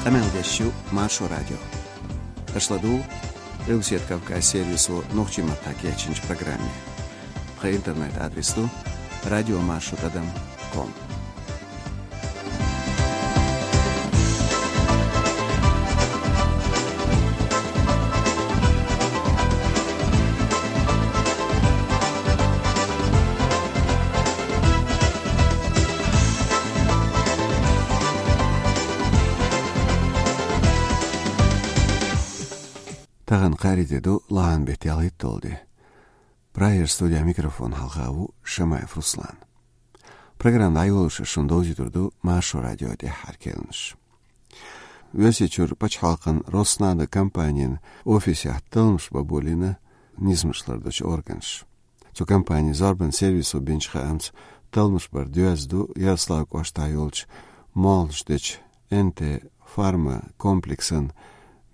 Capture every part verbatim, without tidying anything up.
Къамел деш ю Маршо радио. Аша ладугӀу Къилбаседа Кавказ сервисо нохчийн маттахь кечйинчу программе. Тхан интернет-адрес ду радиомаршо тӀадам ком. Тахана кхаарин де ду, лахьан беттан ялхитталгӀа де. Прагера студехь микрофон хьалха ву Шамаев Руслан. Программа дӀайолош шуна довзуьйтур ду Маршо радион тӀаьххьара керланаш. Оьрсийчуьра пачхьалкхан Роснано компанин офисехь талламаш бан болийна низамаш лардечу органаша. Цу компанин зорбанан сервисо бинчу хаамца, талламаш бар доьзна ду Ярославль кӀоштахь йолчу молханаш дечу Н Т фарма комплексан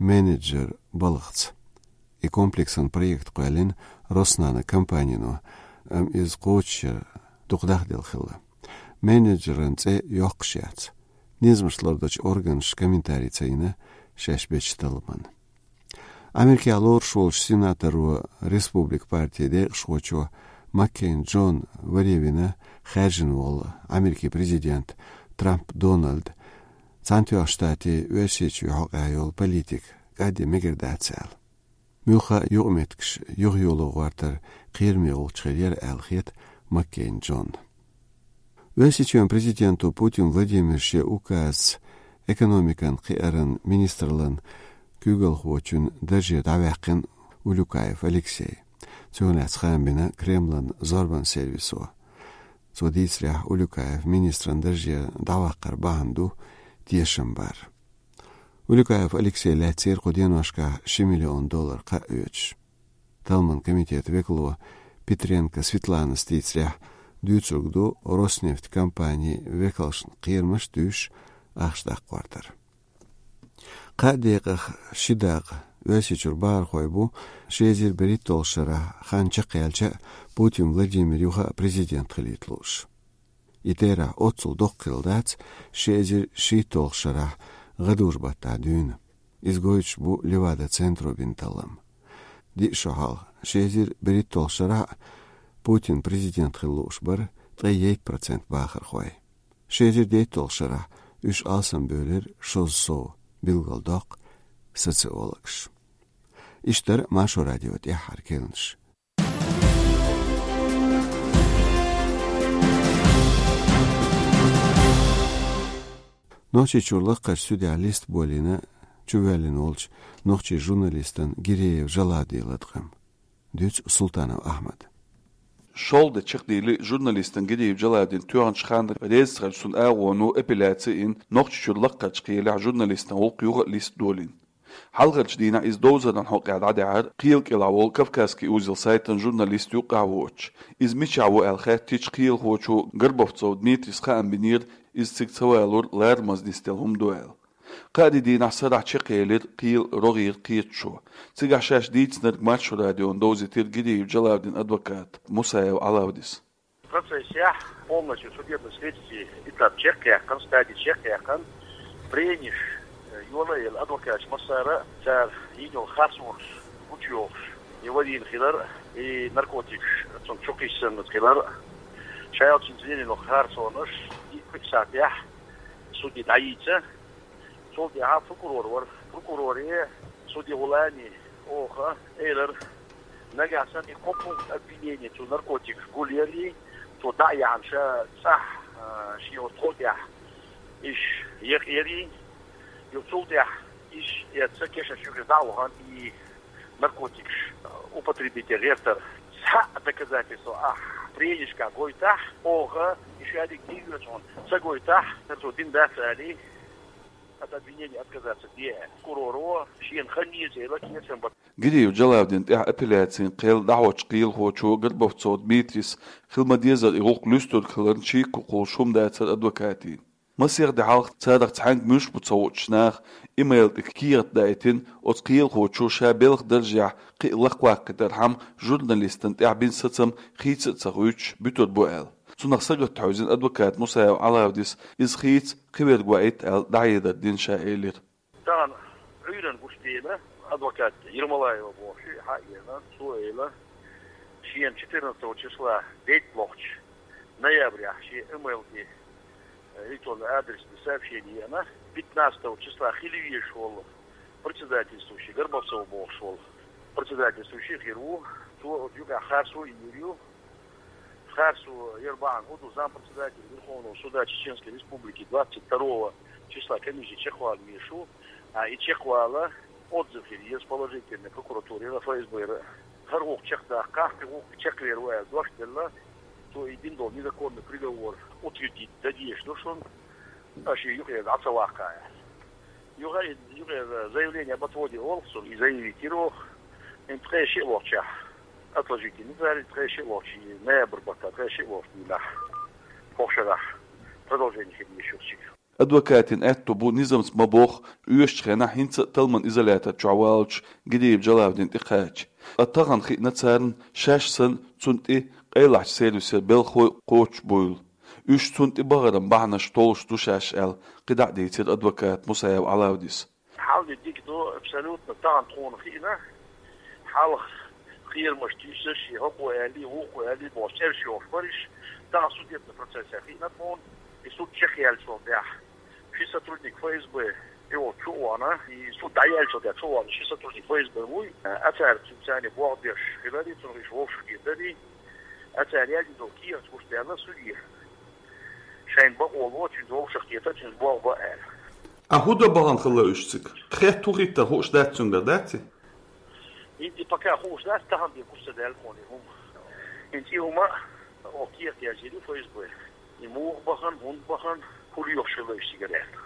менеджеран балхаца. И комплексан проект кхоьллина Роснано компанино, амма иза кхочушъяр дукха дахделла хилла. Менеджеран цӀе йоккхуш яц. Низамаш лардечу органаша комментари ца йина шаьш бечу талламан. Америкехь лоруш волчу сенаторо, Республикан партин декъашхочо Маккейн Джон варе вина хаьржина волу Америкин президент Трамп Дональд Цхьаьнатоьхначу Штатийн Оьрсийчоьнан хьокъехь йолу политика кӀадде мегар дац аьлла. Муьлхха а юкъаметтигаш юхайоло гӀортар кхераме гӀулч хир яра аьлла хета Маккейн Джонна. Оьрсийчоьнан президенто Путин Владимира шен указца экономикан кхиаран министраллан куьйгалхочун дарже дӀаваьккхина Улюкаев Алексей. Цунах лаьцна хаам бина Кремлан зорбанан сервисо. Цо дийцарехь, Улюкаев министран дарже дӀаваккхар бахьана ду тешам бар. Улюкаев Алексей лаьцнера кху деношкахь ши миллион доллар кхаъ оьцуш. Талламан комитетан векало Петренко Светланас дийцарехь, дуьйцург ду Роснефть компанин векалшна кхерамаш а дуьйш, ахча даккха гӀортар. Кхаа декъах ши дакъа Оьрсийчуьра бахархой бу ши эзар берхӀитталгӀачу шарахь, хан чекхъяьлча а, Путин Владимир юха а президент хилийта лууш. И терахь оццул доккха хилла дац ши эзар шийтталгӀачу шарахь гӀадужу-баттахь дуьйна. Иза гойтуш бу Левада-центро бина таллам. Диъ шо хьалха, ши эзар берхӀитталгӀачу шарахь а, Путин президент хила лууш бара ткъе итт процент бахархой. Ши эзар дейтталгӀачу шарахь уьш алсамбевлира шозза сов, билгалдоккху социологаша. Иштта дара Маршо радион тӀаьххьара керланаш. Нохчийчуьра лакхарчу судехь листа болийна чувоьллина волчу нохчийн журналистан Гиреев Жалавдин латкъам. Дуьйцу Султанов Ахьмада. ШолгӀа де чекхдели журналистан Гиреев Жалавдин тоьхначу ханна реза ца хиллачу цуьнан агӀоно апелляци йина Нохчийчуьра лакхарчу кхелехь журналистан гӀуллакх юха а листа долийна. Хьалхарчу дийнахь иза довзаран хьокъехь дӀадаьхьира кхелан кӀелахь волу «Кавказский узел» сайтан журналист юккъехь воцуш. Иза мичахь ву аьлла хаьттича, кхелахочо Горбовцов Дмитрийс хаам бинера, иза цига ца валур ларамаза нисделла хӀума ду аьлла. Кхаа де дийнахь сарахь чекхъелира кхелан рогӀера кхеташо. Цигахь шаьш дийцинарг Маршо радиона довзийтира Гиреев Жалавдин адвоката Мусаев Ӏалавдис. Процессехь полностью судебно-следственный этап чекхъяьккхина, стади чекхъяьккхина, прениш, э, йолаелла адвокаташ массара а цара йина йолу харцонаш гучуйохуш, и вадийна хилар а, и наркотикаш цунна чу кхиссина хилар а, ша йолчу цунна йина йолу харцонаш и кхин сатехь суде дӀайийца. Цул тӀаьхьа прокурор вара. Прокуроре суде гӀулани оха элира, нагахь санна и кхо пункт обвинения цу наркотикаш гулъярий, цо дӀа а яьхьна ша цӀахь, а, шен оцу тхо тӀехь иш якъярий, ю цул тӀаьхьа иш эцца кешнаш юкъе дӀа а вахана и наркотикаш употребить ян гӀертар. Цхьа а доказательство ахь пренишкахь гойтахь, оха и шадерг тӀеоьцу хьуна, ца гойтахь, цо дина дац алий, от обвинения отказаться де. Прокуроро шена хан еза элира кхечам бан. Гиреев Жалавдин тӀехь апелляцин кхел дӀахьочу кхелахочо Горбовцов Дмитрийс хила ма-деззара и гӀуллакх луьстург хиларна чийгахула хӀума дацара адвокатийн. Масех де хьалха царах цхьаьнга муьлш бу ца хуучу наха имейл тӀе кехат даийтина, оцу кхелахочо ша белхан даржехь кхин а лакхваккхийтархьама журналистана тӀехь бина сацам хийца а ца хуьйцуш буьтур бу аьлла. Цунах сагатта хьевзина адвоката Мусаев Ӏалавдис иза хийца кхин верг ваийта аьлла дӀахьедар дина ша элира. Уж дийна адвокат Ермолаева бохуш, хьаена, цо элира, шена четырнадцатого числа, детталохчу ноябрехь, шен имейл тӀе, э, электронный адрес тӀе сообщение еана, пятнадцатого числа хила везаш волу председательствующий, Горбовцов бохуш волу председательствующий хир ву, цо оцу юкъахь харцо а йийр ю. Харцо яр бахьана хӀун ду, зампредседатель Верховного суда Чеченской Республики двадцать второго числа комиссия чекхвала везаш ву, а и чекхвала отзыв хир еза положительный прокуратуре а, ФСБ-ра а. ХӀара гӀуллакх чекхдаккхахь, кхин гӀуллакх чекхвер ву аьлла дош делла, цо и дина долу незаконный приговор утвердить дан дезаш ду шуна, аша и юкъера дӀа ца ваккха аьлла. Юха и, юха и заявление об отводе олу цунна, и заявить йира оха. ХӀинца ткъе шиъ лохчехь, отложительный, цара ткъе шиъ лохчу, ноябрь баттахь ткъе шиъ лохчу дийнахь, хӀокху шарахь продолжение хир ю шуьца. Адвокатийн аьтто бу низамца ма бохху, оьшучу хенахь хӀинца а талламан изолятор чохь валлачу Гидиев Джалавдина тӀе кхача. Ткъа тахана хиъна царна шаьш санна цунна тӀе къайлахчу сервисера белхалой кхочуш буйла. Уьш цунна тӀе бахаран бахьанаш толлуш ду шаьш аьлла, кхидӀа а дийцира адвоката Мусаев Ӏалавдис. Хьал де дика ду, абсолютно, тахана тхуна хиъна, хьалха кхерамаш туьйсуш, и хӀокхо аьллий, вукхо аьллий бохуш, цӀераш йохуш бара уьш, тахана судебный процессехь хиъна тхуна, и суд чекхъяьллачул тӀаьхьа ши сотрудник ФСБ и волчу чу а вахана, и суд дӀаяьллачул тӀаьхьа чу а вахана, ши сотрудник ФСБ вуй, а цара цуьнца болх беш хиларий, цунах уьш вовшахкхетарий, а цара яздина долу кехат гучудаьлла судье. Шайна бакъо ло, цуьнца вовшахкхета, цуьнца болх бан аьлла. А хӀун дан бахана хилла уьш цига? Хетта хӀун хӀиттар хууш дац цуьнгара, дац и? ХӀинца и пока хууш дац, тахана бен гучу ца даьлла тхуна и хӀума. ХӀинца и хӀума, оха кехат яздина ю ФСБ. И муха бахана, хӀунда бахана, хӀун лоьхуш хилла уьш цигара аьлла.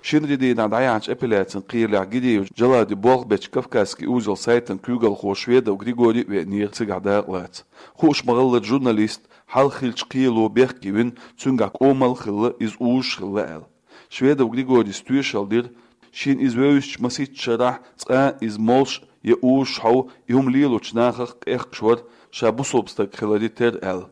Шинарин дийнахь дӀаяьхьначу апелляцин кхелехь Гидиев Джалавди болх бечу «Кавказский узел» сайтан куьйгалхо Шведов Григорий а веанера цигахь дакъалаца. Хууш ма-хиллара, журналист хьалха хиллачу кхело бехке вина, цуьнгахь кӀомал а хилла, иза узуш а хилла аьлла. Шведов Григорийс тоьшалла дира, шена иза вевзачу масийтта шарахь цкъа а иза молуш я узуш хьовха, и хӀума лелочу нахах къехкаш вара, ша бусалба стаг хиларе терра аьлла.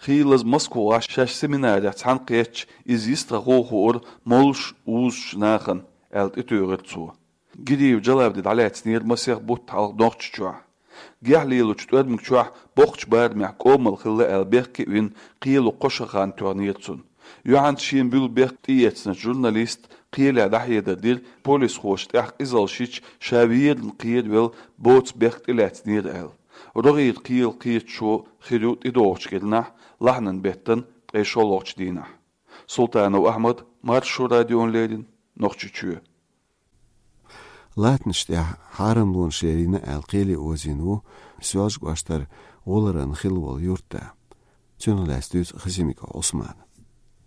Хийлаза Москвахь шаьш семинарехь цхьаьна кхеттачу иза йистхьахо а хуура молуш, узуш нахана, аьлла, тӀетуьйхира цо. Гидиев Джалавди дӀалаьцнера масех бутт хьалха Нохчийчохь. Гехь лелочу тӀоьрмиг чохь боккхачу барамехь кӀомал хилла аьлла бехке а вина, кхело кхо шо хан тоьхнера цунна. Юьхьанца шена буьллу бехк тӀеэцначу журналиста кхеле дӀахьедар дира, полисхоша тӀехь къизаллаш йича, ша верна кхеравелла боцу бехк тӀелаьцнера аьлла. РогӀера кхелан кхеташо хир ю тӀедогӀучу кӀирнахь, лахьанан беттан ткъе шолгӀачу дийнахь. Султанов Ахьмад, Маршо радиона леррина, Нохчийчоь. Латтанаш тӀехь хьарамлонаш лелийна аьлла, кхеле озийна ву Соьлжа-кӀоштара ГӀуларан хилла волу юьртда. Цунах лаьцна дуьйцу Хасимиков Ӏусмана.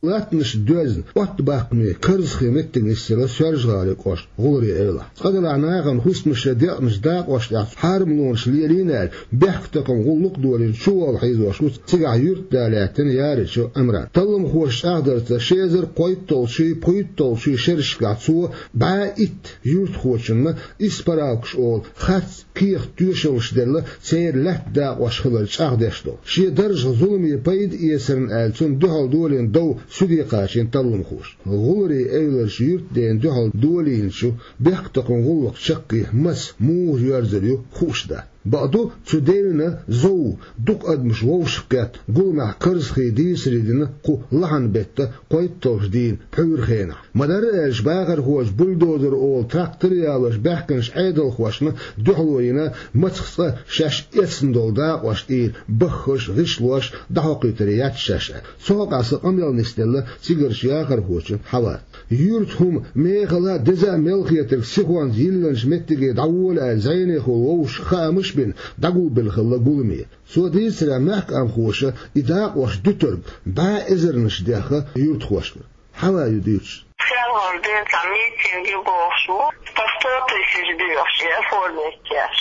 Латтанаш доьзна, оттабаккхаме карзахе меттиг нисделла Соьлжа-ГӀалин кӀоштан ГӀуларийн эвлахь. Цкъа-делахь нахана хӀусамаш я декъанаш дакъош тӀехь хьарамлонаш лелийна аьлла, бехктакхаман гӀуллакх а долийна чуволла хьийзош ву цигахь юьртда лаьттина Яричев Ӏимран. Талламхоша чӀагӀдарца, ши эзар кхойтталгӀачий, пхийтталгӀачий шерашкахь цо бӀе итт юьртахочунна исправкаш олу харц кехат тоьшаллаш делла, церан лаьтта дакъош хилар чӀагӀдеш долу. Шен даржах зуламе пайда эцарна аьлла, цунна дуьхьал долийна дов суьде кхачийна талламхоша. ГӀуларийн эвларчу юьртдена дуьхьал долийначу бехктакхаман гӀуллакхан чаккхе маца, муха йоьрзур ю хууш дац. Бакъду, цу девнан зов дукха адамаш вовшахкхетта, гуламехь карзахе дийцаре дина кху лахьанан беттан кхойтталгӀачу дийнан пхьуьйран хенахь. Ма-дарра аьлча, бахархоша бульдозер олу трактор а ялош баьхкинчу Ӏедалхошна дуьхьало йина, мацах цкъа шаьш эцна долу дакъош тӀера баххалш, гӀишлош дӀахьокхуьйтур яц шаьш аьлла. Цу хьокъехь сан къамел нисделла цигарчу яхархочун Хьавас. Юьртан хӀума мехала а, деза а мел хетарг сихонца йиллинчу меттиге дӀавола аьлла, зӀенехула вовшашка хаамаш а бина, дӀагулбелла хилла гуламе. Цо дийцарехь, мехкамхоша и дакъош дуьтург бӀе эзарнаш дехна юьртахошкара. Хьава ю дуьйцуш. Шелхор ден цхьа митинг ю бохуш ву. По сто тысяч доьхуш, и оформить еш.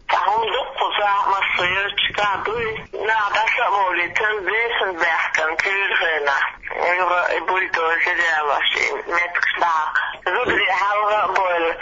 Ткъа хӀума дуккха захьа массо йолчу кхаъ дуй. Наха дӀаса а вовлийтар, вешан баьхкан куьйра хенахь. Юха и бульдозер ялош, и меттигаш дӀахьа. Зударий хьалха а бойла.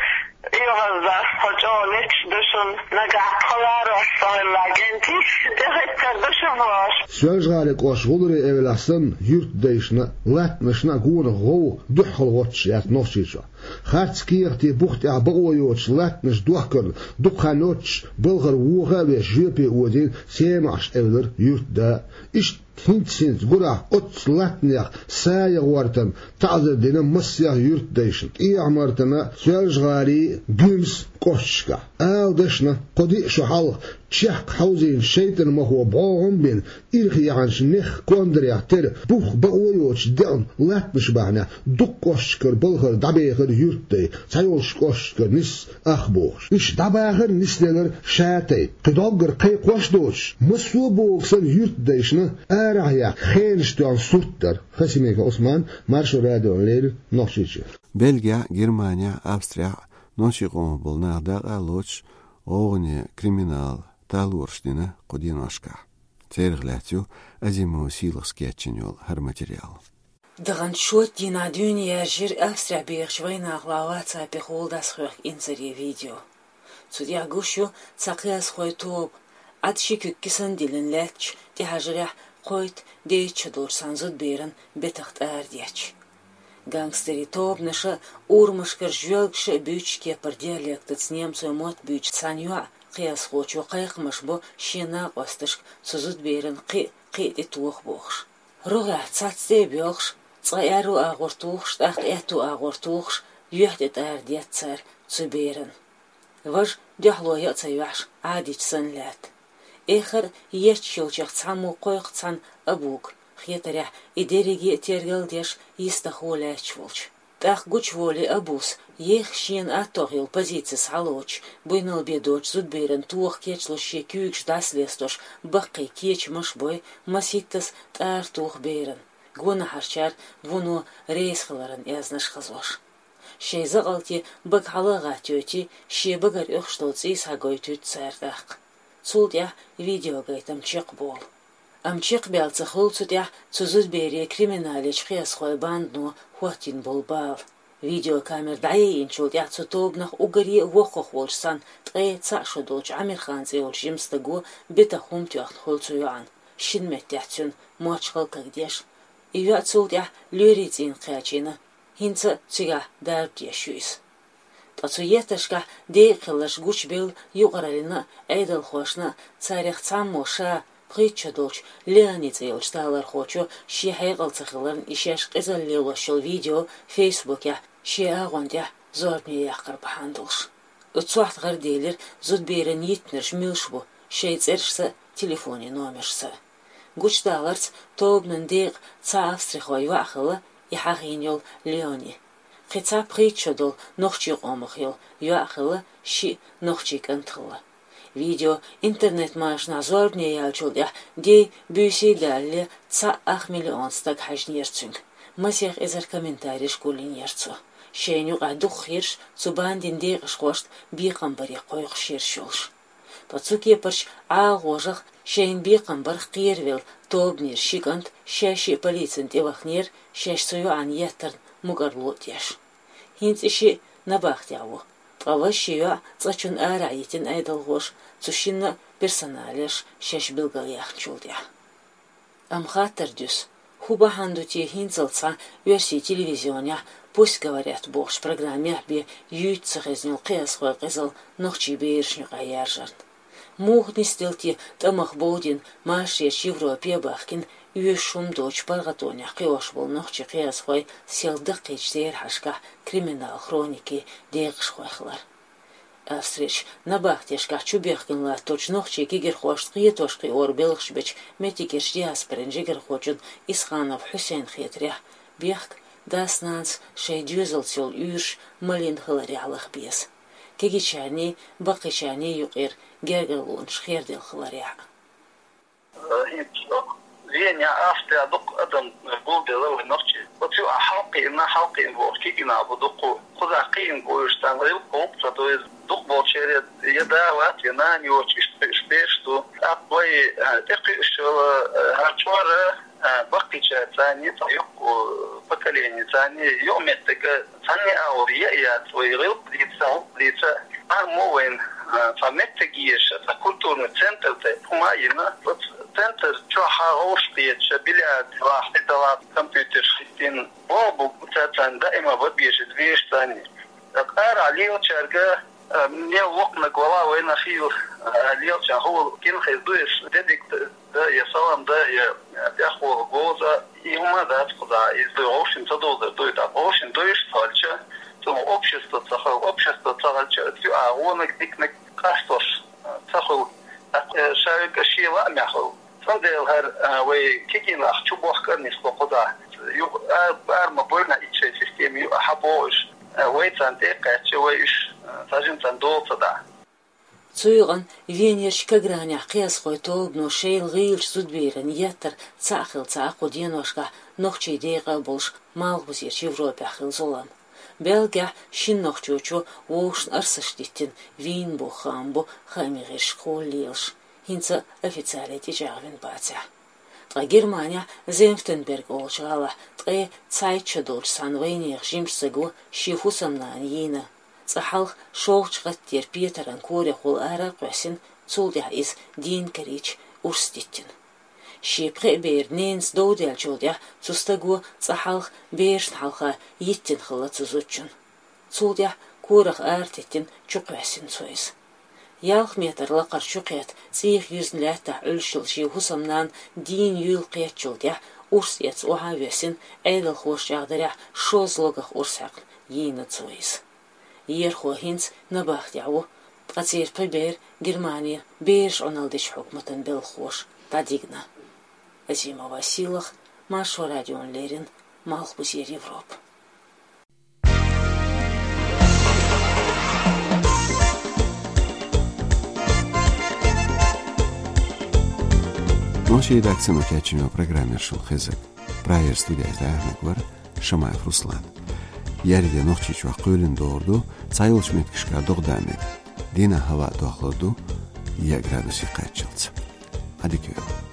Юха ас дас тхо чӀогӀа леташ ду шуна. Нагахь тхо ларош ца хилла, гентий, тӀехӀиттар ду шу бохуш. Соьлжа-ГӀалин кӀоштан ГӀуларийн эвлахь санна, юьртдайшна а, латтанашна а гонах гӀовгӀа дуьххьал гӀоттуш яц Нохчийчохь. Харц кехатий бух тӀехь бакъо йоцуш латтанаш дохкарна дукха хан йоццуш балхара воха а веш жоьпе озийна Семахьаш-Эвлара юьртда. Иштта хӀинца-хӀинца гурахь оццу латтанех са ян гӀортарна таӀзар дина массех юьртдайшна ТӀехьа-Мартана, Соьлжа-ГӀалин, Гуьмсан кӀошташкахь. Ала дашна, кхо диъ шо хьалха чехка хьовзийна шайтӀан махо бӀогӀам а бина, ирх яьхьначу нехан кондарех тера бух бакъо йоцуш деана латтанаш бахьанехь дукха кӀошташкара балхара дӀабехира юьртдай, цхьайолчу кӀошташкара нисса ах бохуш. Иштта дӀабахар а нисделира ша тайпа. Кхин дӀоггара кхайкхош а доцуш, массо а боху санна юьртдайшна арахь яккха хенаш тоьхна сурт дара. Хасимиков Ӏусман, Маршо радиона леррина, Нохчийчоь. Бельгехь, Германехь, Австрехь нохчийн къомах болу нах дакъа а лоцуш, гӀовгӀане, криминал талораш дина кху деношкахь. Церах лаьцна ю Азимова Сийлахьас кечйина йолу хӀара материал. Даханчу шоьтан дийнахь дуьйна яьржира Австрехь бехачу вайнахалахь WhatsApp-ехула дӀасахоьхку инзаре видео. Цу тӀехь гуш ю цхьа кхиазхойн тоба, Ӏад ши куьг кисана диллина лаьтташ, тӀехьажарехь кхойтта-дейтта шо долчу цхьана зудаберан бетах тӀарадетташ. Гангстерийн тобанаша, урамашкара жоьлгаша а буьйцуш, кепара диалектаца немцойн мотт буьйцуш цхьана йоӀа кхиазхочо кхайкхамаш бо шен накъосташка цу зудаберан кхин а, кхин а тӀе тоха бохуш. РогӀехь цхьацца тӀе а боьлхуш, цкъа аьрру агӀор тухуш, тӀаккха аьтту агӀор тухуш, юьхь тӀе тӀарадетта цара цу беран. Важа, дуьхьало ян а ца йоьхьуш, Ӏадийча санна лаьтта. Эххар а етташ йолчех цхьаммо кхойкху цхьана абуга, хетарехь, и дерриге а тергал а деш, йистехула лаьтташ волчу. ТӀаккха гучуволий абус, еха шена аттох йолу позици схьалоцуш, буйнал бен доцучу зудаберан тоха кечлуш шен куьйгаш дӀасалестош, баккхий кечамаш а бой, масийттаза тӀара туху беран, гонахьарчара вуно рейса хиларан аьзнаш хазош. Шайн закъалте бага хьала а гӀаттайойтий, шен багара оьхуш долу цӀий схьагойтуьйту цара тӀаккха. Цул тӀаьхьа видеогайтам чекхболу. Амма чекхбаьлла ца хуьлу цу тӀаьхьа цу зудабере криминалечу кхиазхойн бандано хӀоттийна болу бала. Видеокамера дӀаяйинчул тӀаьхьа цу тобанах уггаре а воккхах волчу цхьана ткъе цхьаъ шо долчу Ӏамирхан цӀе йолчу жимастаго бетах хӀума тоьхна хуьлу цу йоӀана, шина меттехь цуьнан мочхал а кагдеш. И йоӀ цул тӀаьхьа лоьрийн цӀийнах кхачийна, хӀинца а цигахь дарба деш ю иза. Ткъа цу етташкахь декъа хилларш гучубелла юкъараллина а, Ӏедалхошна а. Царех цхьаммо ша, пхийтта шо долчу Леони цӀе йолчу талорхочо шен хьекъал ца хиларна и шаьш къизалла лелош йолу видео Фейсбукехь шен агӀон тӀехь зорбане яккхар бахьана долуш. Оцу сохьта гӀараделира зудаберан йиттинарш муьлш бу, шайн цӀерашца а, телефонийн номершца а. Гучудаларца, тобанан декъа цхьа австрихой йоӀ хилла и хьахийна йолу Леони. Кхин цхьа пхийтта шо долу нохчийн къомах йолу йоӀ хилла, шиъ нохчийн кӀант хилла. Видео интернет-машанахь зорбане яьллачул тӀаьхьа дей-буьйсий далале цхьа ах миллион стаг хьаьжнера цуьнга. Масех эзар комментареш гулйинера цо. Шайна юкъахь дукхахйирш цу бандин декъашхошна бекхам баре кхойкхуш йирш йолуш. Ткъа цу кепарчу ӀалагӀожах шайна бекхам барх кхеравелла тобанера ши кӀант шаьш а полицина тӀевахнера, шаьш цу йоӀана еттарна мукӀарло а деш. ХӀинца и шиъ набахтехь ву, ткъа важа ши йоӀ цкъачунна арахь йитина Ӏедалхоша, цу шинна а персоналеш шаьш билгалъяьхначул тӀаьхьа. Амма хаттар дуьсу, хӀун бахьана ду те хӀинцалц цхьа оьрсийн телевизионехь «Пусть говорят» бохучу программехь бен юьйцу ца хезна йолу кхиазхойн къизалла нохчийн берашна юкъахь яржарна? Муха нисделла те тӀамах бовдина, машаречу Европе а бахкина, оьшуш хӀума доцучу паргӀатонехь кхиош болу нохчийн кхиазхой сел даккхийчу терахьашкахь криминал хроникин декъашхой хилар? Австрерчу набахтешкахь чубехкина латточу нохчийн кегирхошна кхетош-кхиоран белхаш бечу меттигерчу диаспорин жигархочун Исханов Хьусейнан хетарехь, бехк дас-нанас шайн доьзалца йолу уьйраш малийна хиларехь лаха беза. Кегийчарний, баккхийчарний юкъера гергарлонаш херделла хиларехь а. ХӀинца Венехь, Австрехь дукха адам гулделла вай нохчий. Оцу юкъахь хьалакхиъна, хьалакхиъна бохуш кегий нах бу дукха. Кхузахь кхиъна бу уьш, царна гӀиллакх-гӀуллакх ца до иза. Дукхахболчеран я да вац, я нана йоцуш, иштта кхуьуш бераш ду. ТӀаккха вай, а, тӀекхуьуш йолу, а, хӀара чкъор а, а, баккхийчарца цхьаьна, цхьа йоккха, а, поколени цхьаьна, юкъаметтиг а цхьанне а агӀор ян а яц, вай гӀиллакх дийца, гӀуллакх дийца. Амма вайна Цхьа меттиг еза, цхьа культурный центр тӀе хӀума йина. Оцу центр чохь хьагӀовш кхеташ, бильярд вахь, тӀедалла компьютерш хӀиттина. Боху бу цаьрца даима бан безаш вешан цӀанне. Ткъа арахь лелачаьрга, а, мел воккханиг вала вайна хила, а, лелачарна хӀума гина хеза ду, эс де дика да, я салам да, я тӀехволу говза, и хӀума дац кхузахь, иза ду вовшийн ца дозар ду, и тӀаккха вовшийн дуьйш ца хилча, цунах общество ца хила, общество ца хилча, цу а гӀонаг диканиг къастош, а, ца хуьлу, тӀаккха, э, ша верг а шен лаамехь хуьлу. Цундела хӀара, а, вай кегийнах чу бохкар нисло кхузахь. Юха а, ара ма бойла, итт шайн система ю а хьабогӀуш, а, вай царна тӀе а кхаьчча, вай уьш, а, цхьа жимма царна дола ца дахь. Цу юкъана Венерчу Кагранехь кхиазхойн тобано шайла гӀийлачу зудберан еттар цхьаъ хилла ца Ӏа кху деношкахь нохчийн декъа а болуш, Малхбузерчу Европехь хилла зулам. Бельгехь шина нохчочо вовшашна арсаш диттина вийна боху хаам бу хаамийн гӀирсашкахула лелаш, хӀинца официале тӀечӀагӀвина бацахь. Ткъа Германехь Зенфтенберг олучу гӀалахь ткъе цхьайтта шо долчу цхьана вайнехан жимачу стага шен хӀусамнана йийна. Цкъа хьалха шолгӀачу гӀаттера петаран корехула ара а кхоьссина, цул тӀаьхьа иза дийна карийча урс диттина. Шен пхеа беран ненаца дов даьллачул тӀаьхьа цу стага цкъа хьалха берашна хьалха йиттина хилла цу зудчунна. Цул тӀаьхьа корах ара теттина чукхоьссина цо иза. Ялх метр лакхара чукхетта, цӀийх юьзна лаьттахь Ӏуьллуш йолу шен хӀусамнана дийна юйла кхеттачул тӀаьхьа урс эцна охьа а воьссина, Ӏедалхоша чӀагӀдарехь шозза логах урс хьаькхна йийна цо иза. Ерхо хӀинца набахтехь ву, ткъа церан пхи бер Германера бераш Ӏуналла дечу хьукматан белхахоша дӀадигна. Азимова Силах, Маршо радиона леррина, Малхбузера Европа. Нохчийн редакцино кечйина программа яра шуна хезар. Прагера студехь дӀаяьхьнарг вара Шамаев Руслан. Еарин де Нохчийчохь кхоьлина догӀур ду, цхьайолчу меттигашкахь догӀа дан мега. Дийнахь хӀаваъ дохлур ду, яа градусе кхаччалц. Ӏадика йойла.